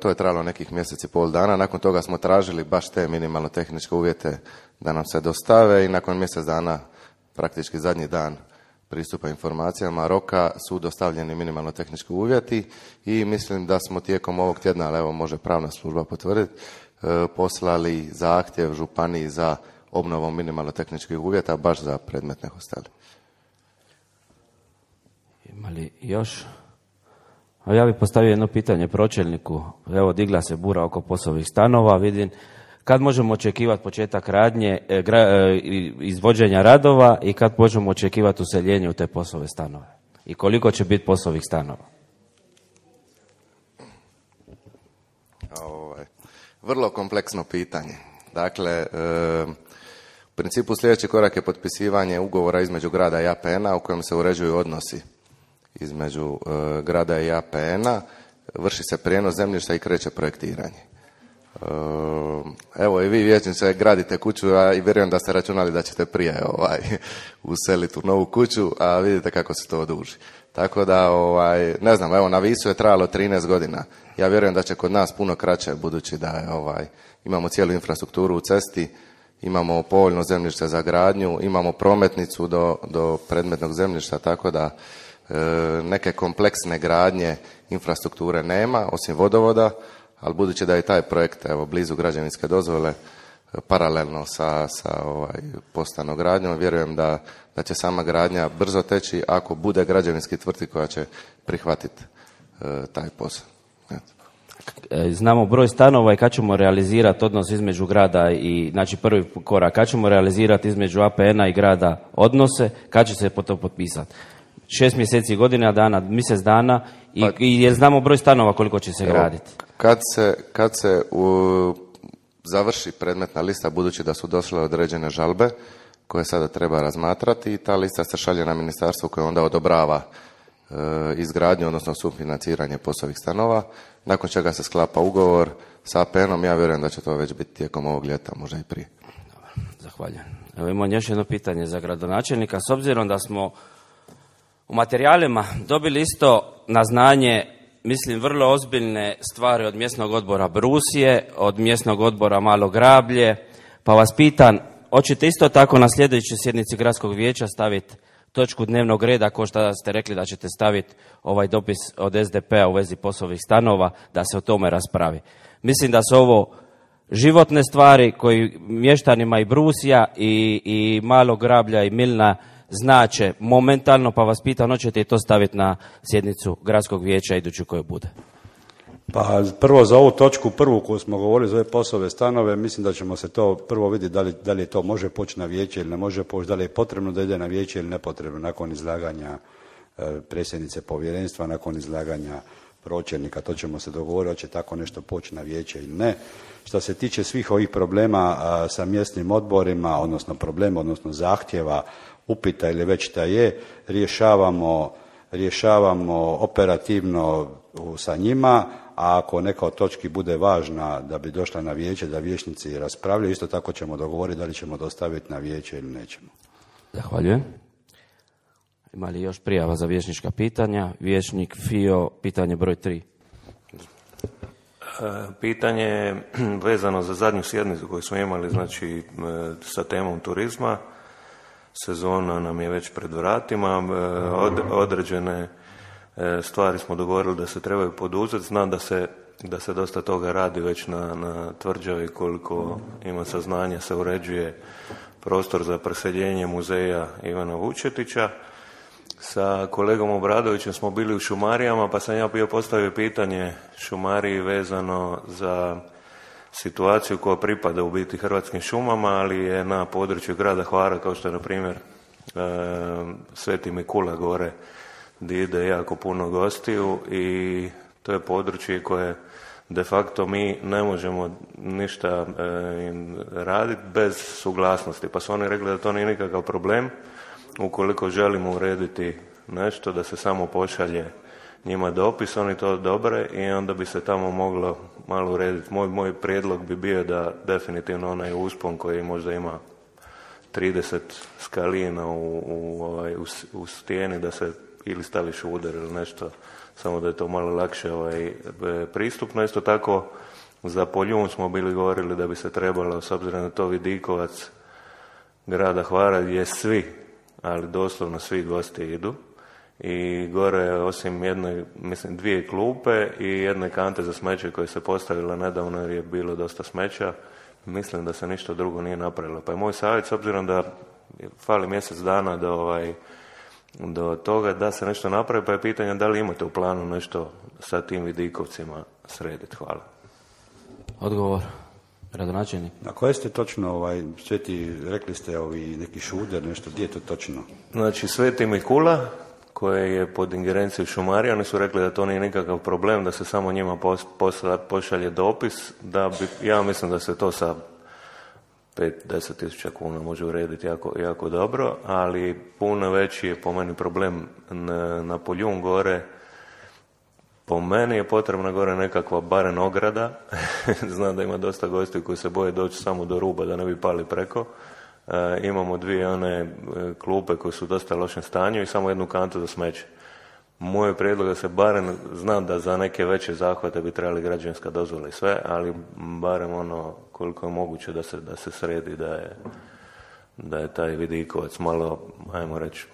to je trajalo nekih mjeseci i pol dana. Nakon toga smo tražili baš te minimalno tehničke uvjete da nam se dostave i nakon mjesec dana, praktički zadnji dan pristupa informacijama roka, su dostavljeni minimalno tehnički uvjeti i mislim da smo tijekom ovog tjedna, ali evo može pravna služba potvrditi, poslali zahtjev županiji za obnovom minimalno tehničkih uvjeta baš za predmetne hostele. Ima li još? A ja bih postavio jedno pitanje pročelniku. Evo, digla se bura oko POS-ovih stanova. Vidim, kad možemo očekivati početak radnje, e, gra, e, izvođenja radova i kad možemo očekivati useljenje u te POS-ove stanove? I koliko će biti POS-ovih stanova? Ovaj, vrlo kompleksno pitanje. Dakle, e, u principu sljedeći korak je potpisivanje ugovora između grada i A P N-a u kojem se uređuju odnosi između e, grada i A P N-a, vrši se prijenos zemljišta i kreće projektiranje. E, evo i vi vijećniče gradite kuću, a i vjerujem da ste računali da ćete prije ovaj, useliti u novu kuću, a vidite kako se to oduži. Tako da, ovaj, ne znam, evo na Visu je trajalo trinaest godina. Ja vjerujem da će kod nas puno kraće, budući da je, ovaj, imamo cijelu infrastrukturu u cesti, imamo povoljno zemljište za gradnju, imamo prometnicu do, do predmetnog zemljišta, tako da e, neke kompleksne gradnje infrastrukture nema, osim vodovoda, ali budući da je taj projekt evo, blizu građevinske dozvole, paralelno sa, sa ovaj, postanogradnjom, vjerujem da, da će sama gradnja brzo teći ako bude građevinski tvrtki koja će prihvatiti e, taj posao. Znamo broj stanova i kad ćemo realizirati odnos između grada i, znači prvi korak, kad ćemo realizirati između A P N-a i grada odnose, kad će se to potpisati? Šest mjeseci, godina dana, mjesec dana i, pa, i jer znamo broj stanova koliko će se evo, graditi. Kad se, kad se u, završi predmetna lista, budući da su došle određene žalbe, koje sada treba razmatrati i ta lista se šalje na ministarstvo koje onda odobrava e, izgradnju, odnosno sufinanciranje POS-ovih stanova, nakon čega se sklapa ugovor sa A P N-om. Ja vjerujem da će to već biti tijekom ovog ljeta, možda i prije. Zahvaljujem. Evo imam još jedno pitanje za gradonačelnika. S obzirom da smo u materijalima dobili isto na znanje, mislim, vrlo ozbiljne stvari od mjesnog odbora Brusije, od mjesnog odbora Malo Grablje, pa vas pitam, hoćete isto tako na sljedećoj sjednici gradskog vijeća staviti točku dnevnog reda, kao što ste rekli da ćete staviti ovaj dopis od S D P-a u vezi POS-ovih stanova, da se o tome raspravi. Mislim da su ovo životne stvari koji mještanima i Brusija i, i Malog Grablja i Milna znače momentalno, pa vas pitam, hoćete i to staviti na sjednicu gradskog vijeća iduću koju bude? Pa prvo za ovu točku, prvu koju smo govorili za ove POS-ove stanove, mislim da ćemo se to prvo vidjeti da li, da li to može poći na vijeće ili ne može poći, da li je potrebno da ide na vijeće ili nepotrebno nakon izlaganja e, predsjednice povjerenstva, nakon izlaganja pročelnika, to ćemo se dogovoriti, hoće tako nešto poći na vijeće ili ne. Što se tiče svih ovih problema a, sa mjesnim odborima, odnosno problema, odnosno zahtjeva, upita ili već šta je, rješavamo, rješavamo operativno sa njima, a ako neka od točki bude važna da bi došla na vijeće, da vijećnici raspravljaju, isto tako ćemo dogovoriti da li ćemo dostaviti na vijeće ili nećemo. Zahvaljujem. Ima li još prijava za vijećnička pitanja? Vijećnik Fio, pitanje broj tri. Pitanje je vezano za zadnju sjednicu koju smo imali, znači sa temom turizma. Sezona nam je već pred vratima, od, određene stvari smo dogovorili da se trebaju poduzeti. Znam da se, da se dosta toga radi već na, na Tvrđavi, koliko ima saznanja se uređuje prostor za preseljenje muzeja Ivana Vučetića. Sa kolegom Obradovićem smo bili u šumarijama, pa sam ja bio postavio pitanje šumariji vezano za situaciju koja pripada u biti Hrvatskim šumama, ali je na području grada Hvara, kao što je na primjer e, Sveti Mikula gore, gdje ide jako puno gostiju i to je područje koje de facto mi ne možemo ništa e, raditi bez suglasnosti. Pa su oni rekli da to nije nikakav problem, ukoliko želimo urediti nešto, da se samo pošalje njima dopis, oni to dobre i onda bi se tamo moglo malo urediti. Moj, moj prijedlog bi bio da definitivno onaj uspon koji možda ima trideset skalina u, u, ovaj, u, u stijeni, da se ili staviš udar ili nešto, samo da je to malo lakše ovaj, pristupno. Isto tako za Poljun smo bili govorili da bi se trebalo, s obzirom na to vidikovac grada Hvara gdje svi, ali doslovno svi gosti idu, i gore osim jedne, mislim, dvije klupe i jedne kante za smeće koje se postavila nedavno jer je bilo dosta smeća, mislim da se ništa drugo nije napravilo. Pa je moj savjet, s obzirom da fali mjesec dana do, ovaj, do toga da se nešto napravi, pa je pitanje da li imate u planu nešto sa tim vidikovcima srediti. Hvala. Odgovor, gradonačelnik. Na koje ste točno, ovaj, Sveti, rekli ste ovi neki šuder, nešto, gdje je to točno? Znači, Sveti Mikula, koje je pod ingerencijom šumarija, oni su rekli da to nije nikakav problem, da se samo njima pos, posla, pošalje dopis, da bi, ja mislim da se to sa pet do deset tisuća kuna može urediti jako, jako dobro, ali puno veći je po meni problem na, na Poljun gore. Po meni je potrebna gore nekakva barem ograda. Znam da ima dosta gostiju koji se boje doći samo do ruba da ne bi pali preko. E, imamo dvije one klupe koje su u dosta lošem stanju i samo jednu kantu za smeće. Moj prijedlog da se barem, znam da za neke veće zahvate bi trebali građevinska dozvola i sve, ali barem ono koliko je moguće da se, da se sredi, da je, da je taj vidikovac malo, ajmo reći,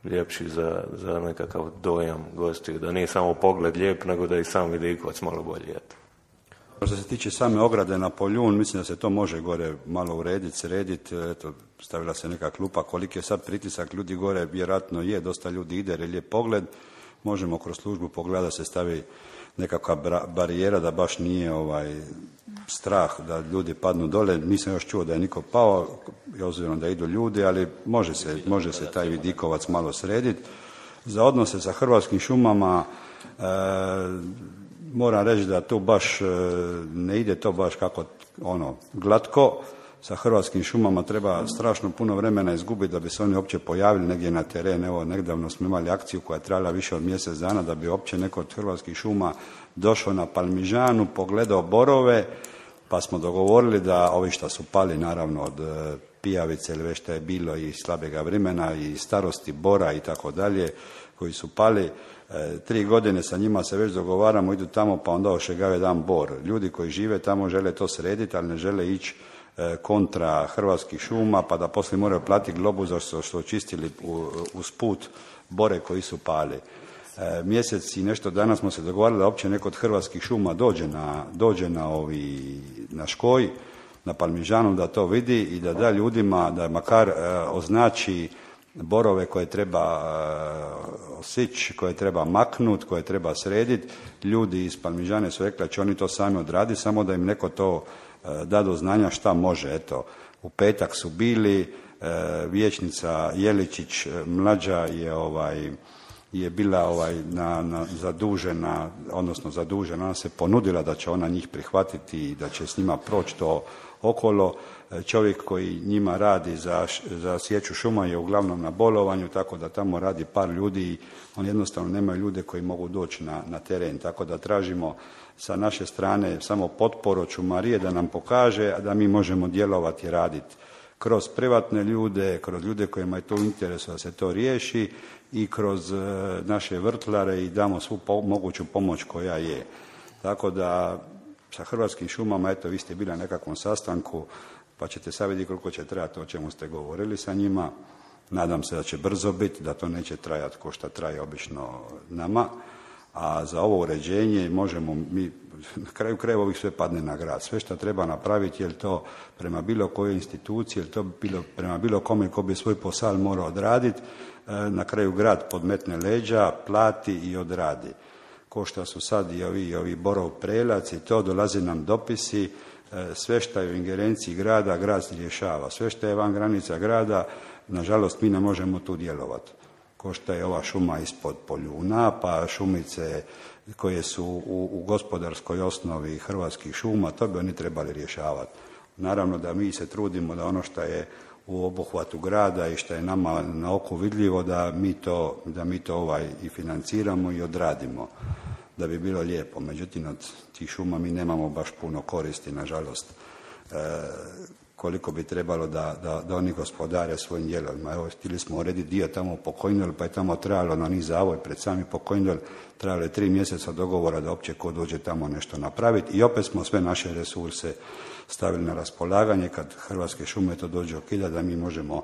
ljepši za, za nekakav dojam gostiju, da nije samo pogled lijep, nego da i sam vidikovac malo bolji. Eto. Što se tiče same ograde na Poljun, mislim da se to može gore malo urediti, srediti, eto, stavila se neka klupa, koliki je sad pritisak ljudi gore, vjerojatno je, dosta ljudi ide, jer je lijep pogled, možemo kroz službu pogledati da se stavi nekakva barijera, da baš nije ovaj strah da ljudi padnu dole. Nisam još čuo da je niko pao, obzirom da idu ljudi, ali može se, može se taj vidikovac malo srediti. Za odnose sa Hrvatskim šumama e, moram reći da tu baš e, ne ide to baš kako ono glatko, sa Hrvatskim šumama treba strašno puno vremena izgubiti da bi se oni uopće pojavili negdje na teren. Evo, nedavno smo imali akciju koja je trajala više od mjesec dana da bi uopće neko od Hrvatskih šuma došao na Palmižanu, pogledao borove, pa smo dogovorili da ovi što su pali naravno od pijavice ili već što je bilo i slabega vremena i starosti bora i tako dalje, koji su pali, e, tri godine sa njima se već dogovaramo, idu tamo pa onda ošegave dan bor. Ljudi koji žive tamo žele to srediti, ali ne žele ići e, kontra Hrvatskih šuma, pa da poslije moraju platiti globu za što su očistili uz put bore koji su pali. E, mjesec i nešto dana smo se dogovarali da uopće neko od Hrvatskih šuma dođe na, dođe na, ovi, na Škoj, na Palmižanu, da to vidi i da da ljudima, da makar e, označi borove koje treba e, osići, koje treba maknut, koje treba srediti. Ljudi iz Palmižane su rekli da će oni to sami odraditi, samo da im neko to e, da do znanja šta može. Eto, u petak su bili, e, vijećnica Jeličić, mlađa je ovaj je bila ovaj na, na zadužena, odnosno zadužena, ona se ponudila da će ona njih prihvatiti i da će s njima proći to okolo. Čovjek koji njima radi za, za sječu šuma je uglavnom na bolovanju, tako da tamo radi par ljudi i oni jednostavno nemaju ljude koji mogu doći na, na teren, tako da tražimo sa naše strane samo potporu od šumarije da nam pokaže, a da mi možemo djelovati i raditi kroz privatne ljude, kroz ljude kojima je to u interesu da se to riješi i kroz e, naše vrtlare i damo svu po, moguću pomoć koja je. Tako da sa Hrvatskim šumama, eto vi ste bili na nekakvom sastanku, pa ćete sad vidjeti koliko će trajati o čemu ste govorili sa njima. Nadam se da će brzo biti, da to neće trajati ko što traje obično nama. A za ovo uređenje možemo mi, na kraju krajeva ovih sve padne na grad. Sve što treba napraviti, je li to prema bilo kojoj instituciji, je li to bilo, prema bilo kome ko bi svoj posao morao odraditi, na kraju grad podmetne leđa, plati i odradi. Ko što su sad i ovi, i ovi borov prelac i to, dolaze nam dopisi, sve što je u ingerenciji grada, grad se rješava. Sve što je van granica grada, nažalost mi ne možemo tu djelovati. Ko što je ova šuma ispod Poljuna, pa šumice koje su u, u gospodarskoj osnovi Hrvatskih šuma, to bi oni trebali rješavati. Naravno da mi se trudimo da ono što je u obuhvatu grada i što je nama na oko vidljivo, da mi to, da mi to ovaj i financiramo i odradimo, da bi bilo lijepo. Međutim, od tih šuma mi nemamo baš puno koristi, nažalost, e, koliko bi trebalo da, da, da oni gospodare svojim dijelovima. Evo, htjeli smo urediti dio tamo po Kojndol, pa je tamo trebalo na niz zavoj pred sami po Kojndol, trebalo je tri mjeseca dogovora da uopće ko dođe tamo nešto napraviti i opet smo sve naše resurse stavili na raspolaganje kad Hrvatske šume to dođe okida, da mi možemo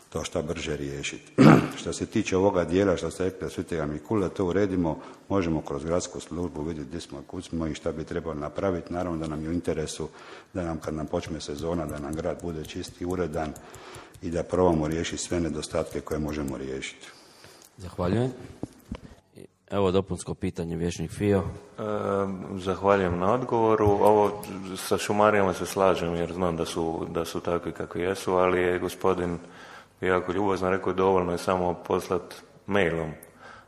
to šta brže riješiti. Što se tiče ovoga dijela, što ste rekli da Svetega Mikula, to uredimo, možemo kroz gradsku službu vidjeti gdje smo, kud smo i šta bi trebalo napraviti. Naravno da nam je u interesu da nam kad nam počne sezona, da nam grad bude čist i uredan i da probamo riješiti sve nedostatke koje možemo riješiti. Zahvaljujem. Evo dopunsko pitanje, vijećnik Fio. E, zahvaljujem na odgovoru. Ovo sa šumarijama se slažem jer znam da su, da su takvi kakvi jesu, ali je gospodin jako ljubazno rekao dovoljno je samo poslati mailom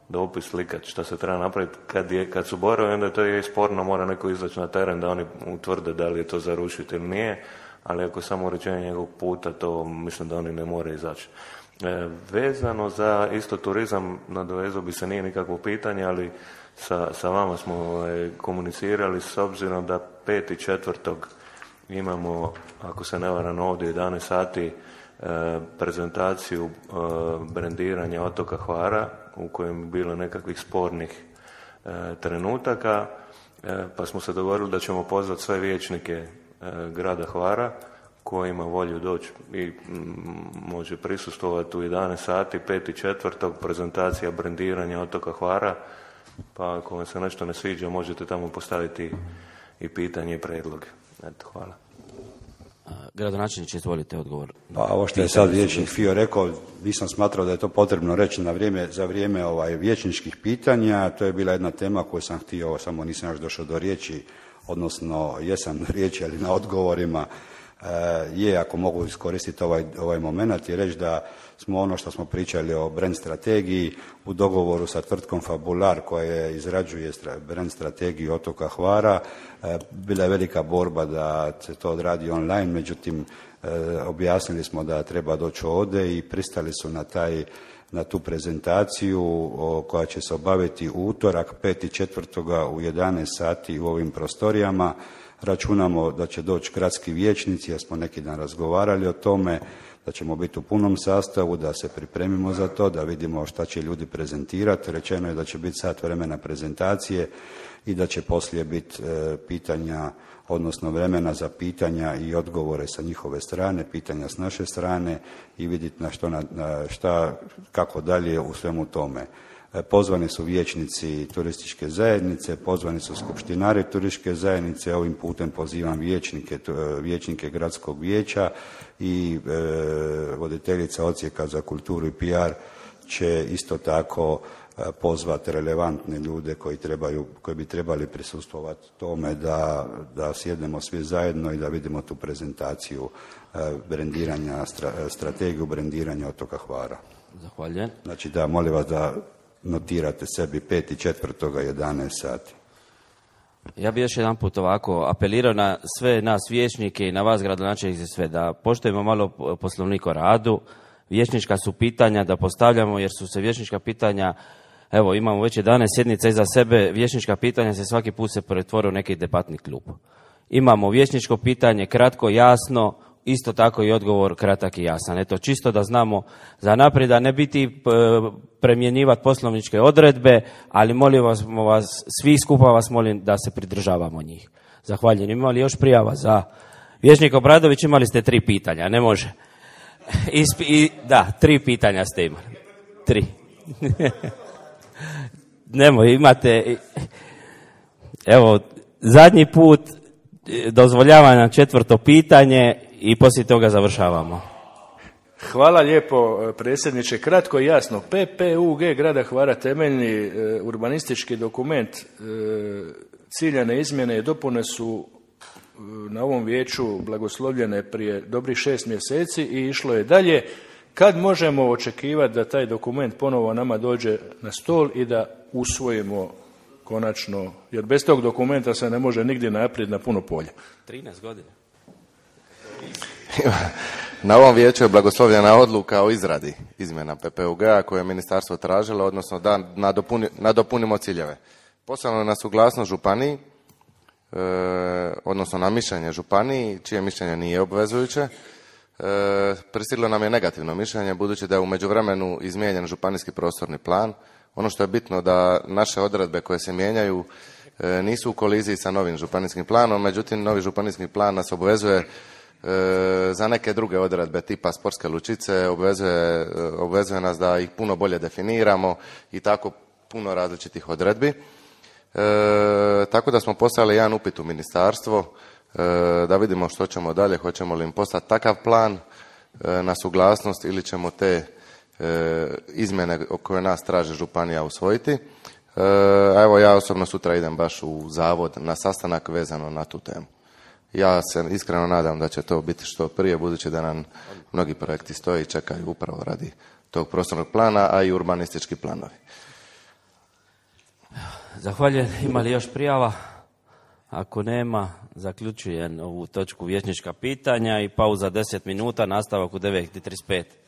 dopis, slikat šta se treba napraviti. Kad, je, kad su borovi, onda to je sporno, mora neko izaći na teren da oni utvrde da li je to za rušiti ili nije, ali ako samo uređenje njegovog puta, to mislim da oni ne moraju izaći. E, vezano za isto turizam, nadovezao bi se, nije nikakvo pitanje, ali sa, sa vama smo e, komunicirali s obzirom da peti četvrtog imamo, ako se ne varam, ovdje jedanaest sati e, prezentaciju e, brendiranja otoka Hvara u kojem je bilo nekakvih spornih e, trenutaka, e, pa smo se dogovorili da ćemo pozvati sve vijećnike e, grada Hvara ko ima volju doći i m, može prisustvovati u jedanaest sati, peti četvrtog prezentacija brendiranja otoka Hvara, pa ako vam se nešto ne sviđa možete tamo postaviti i pitanje i predloge. Eto, hvala. Gradonačelniče, izvolite odgovor. Pa ovo što je sad vijećnik Fio rekao, nisam smatrao da je to potrebno reći na vrijeme, za vrijeme ovaj, vijećničkih pitanja. To je bila jedna tema koju sam htio, samo nisam još došao do riječi, odnosno jesam na riječi, ali na odgovorima. je, ako mogu iskoristiti ovaj, ovaj moment i reći da smo ono što smo pričali o brand strategiji u dogovoru sa tvrtkom Fabular koja izrađuje brand strategiju otoka Hvara. Bila je velika borba da se to odradi online, međutim objasnili smo da treba doći ovdje i pristali su na taj na tu prezentaciju o, koja će se obaviti u utorak peti četvrtoga u jedanaest sati u ovim prostorijama. Računamo da će doći gradski vijećnici, jer smo neki dan razgovarali o tome, da ćemo biti u punom sastavu, da se pripremimo za to, da vidimo šta će ljudi prezentirati. Rečeno je da će biti sat vremena prezentacije i da će poslije biti e, pitanja, odnosno vremena za pitanja i odgovore sa njihove strane, pitanja s naše strane i vidjeti na što, na, na šta, kako dalje u svemu tome. Pozvani su vijećnici turističke zajednice, pozvani su skupštinari turističke zajednice, ovim putem pozivam vijećnike, vijećnike gradskog vijeća i e, voditeljica odsjeka za kulturu i P R će isto tako pozvati relevantne ljude koji, trebaju, koji bi trebali prisustvovati tome da, da sjednemo svi zajedno i da vidimo tu prezentaciju brendiranja, strategiju brendiranja otoka Hvara. Zahvaljujem. Znači da, molim vas da notirate sebi peti četvrtoga jedanaest sati. Ja bih još jedan put ovako apelirao na sve nas vijećnike i na vas gradonačelnici sve da poštujemo malo poslovnik o radu. Vijećnička su pitanja da postavljamo jer su se vijećnička pitanja, evo imamo već jedanaest sjednica iza sebe, vijećnička pitanja se svaki put se pretvore u neki debatni klub. Imamo vijećničko pitanje kratko, jasno, isto tako i odgovor kratak i jasan. Eto, čisto da znamo za naprijed, da ne biti premjenjivati poslovničke odredbe, ali molim vas, vas, svi skupa vas molim da se pridržavamo njih. Zahvaljujem. Imali još prijava za vijećnik Obradović, imali ste tri pitanja, ne može. Ispi, i, da, tri pitanja ste imali. Tri. Nemoj, imate... Evo, zadnji put dozvoljava nam četvrto pitanje i poslije toga završavamo. Hvala lijepo, predsjedniče. Kratko i jasno. P P U G grada Hvara, temeljni e, urbanistički dokument, e, ciljane izmjene i dopune su e, na ovom vijeću blagoslovljene prije dobrih šest mjeseci i išlo je dalje. Kad možemo očekivati da taj dokument ponovo nama dođe na stol i da usvojimo konačno, jer bez tog dokumenta se ne može nigdje naprijed na puno polja. trinaest godina. Na ovom vijeću je blagoslovljena odluka o izradi izmjena P P U G-a koje je ministarstvo tražilo, odnosno da nadopuni, nadopunimo ciljeve. Poslano na suglasnost županiji, e, odnosno na mišljenje županiji, čije mišljenje nije obvezujuće. E, pristiglo nam je negativno mišljenje, budući da je u međuvremenu izmijenjen županijski prostorni plan. Ono što je bitno da naše odredbe koje se mijenjaju e, nisu u koliziji sa novim županijskim planom, međutim novi županijski plan nas obvezuje e, za neke druge odredbe tipa sportske lučice, obvezuje, obvezuje nas da ih puno bolje definiramo i tako puno različitih odredbi. E, tako da smo poslali jedan upit u ministarstvo e, da vidimo što ćemo dalje, hoćemo li im poslati takav plan e, na suglasnost ili ćemo te izmjene koje nas traže županija usvojiti. A evo ja osobno sutra idem baš u zavod na sastanak vezano na tu temu. Ja se iskreno nadam da će to biti što prije, budući da nam mnogi projekti stoje i čekaju upravo radi tog prostornog plana, a i urbanistički planovi. Zahvaljujem. Ima li još prijava? Ako nema, zaključujem ovu točku vijećnička pitanja i pauza deset minuta, nastavak u devet i trideset pet.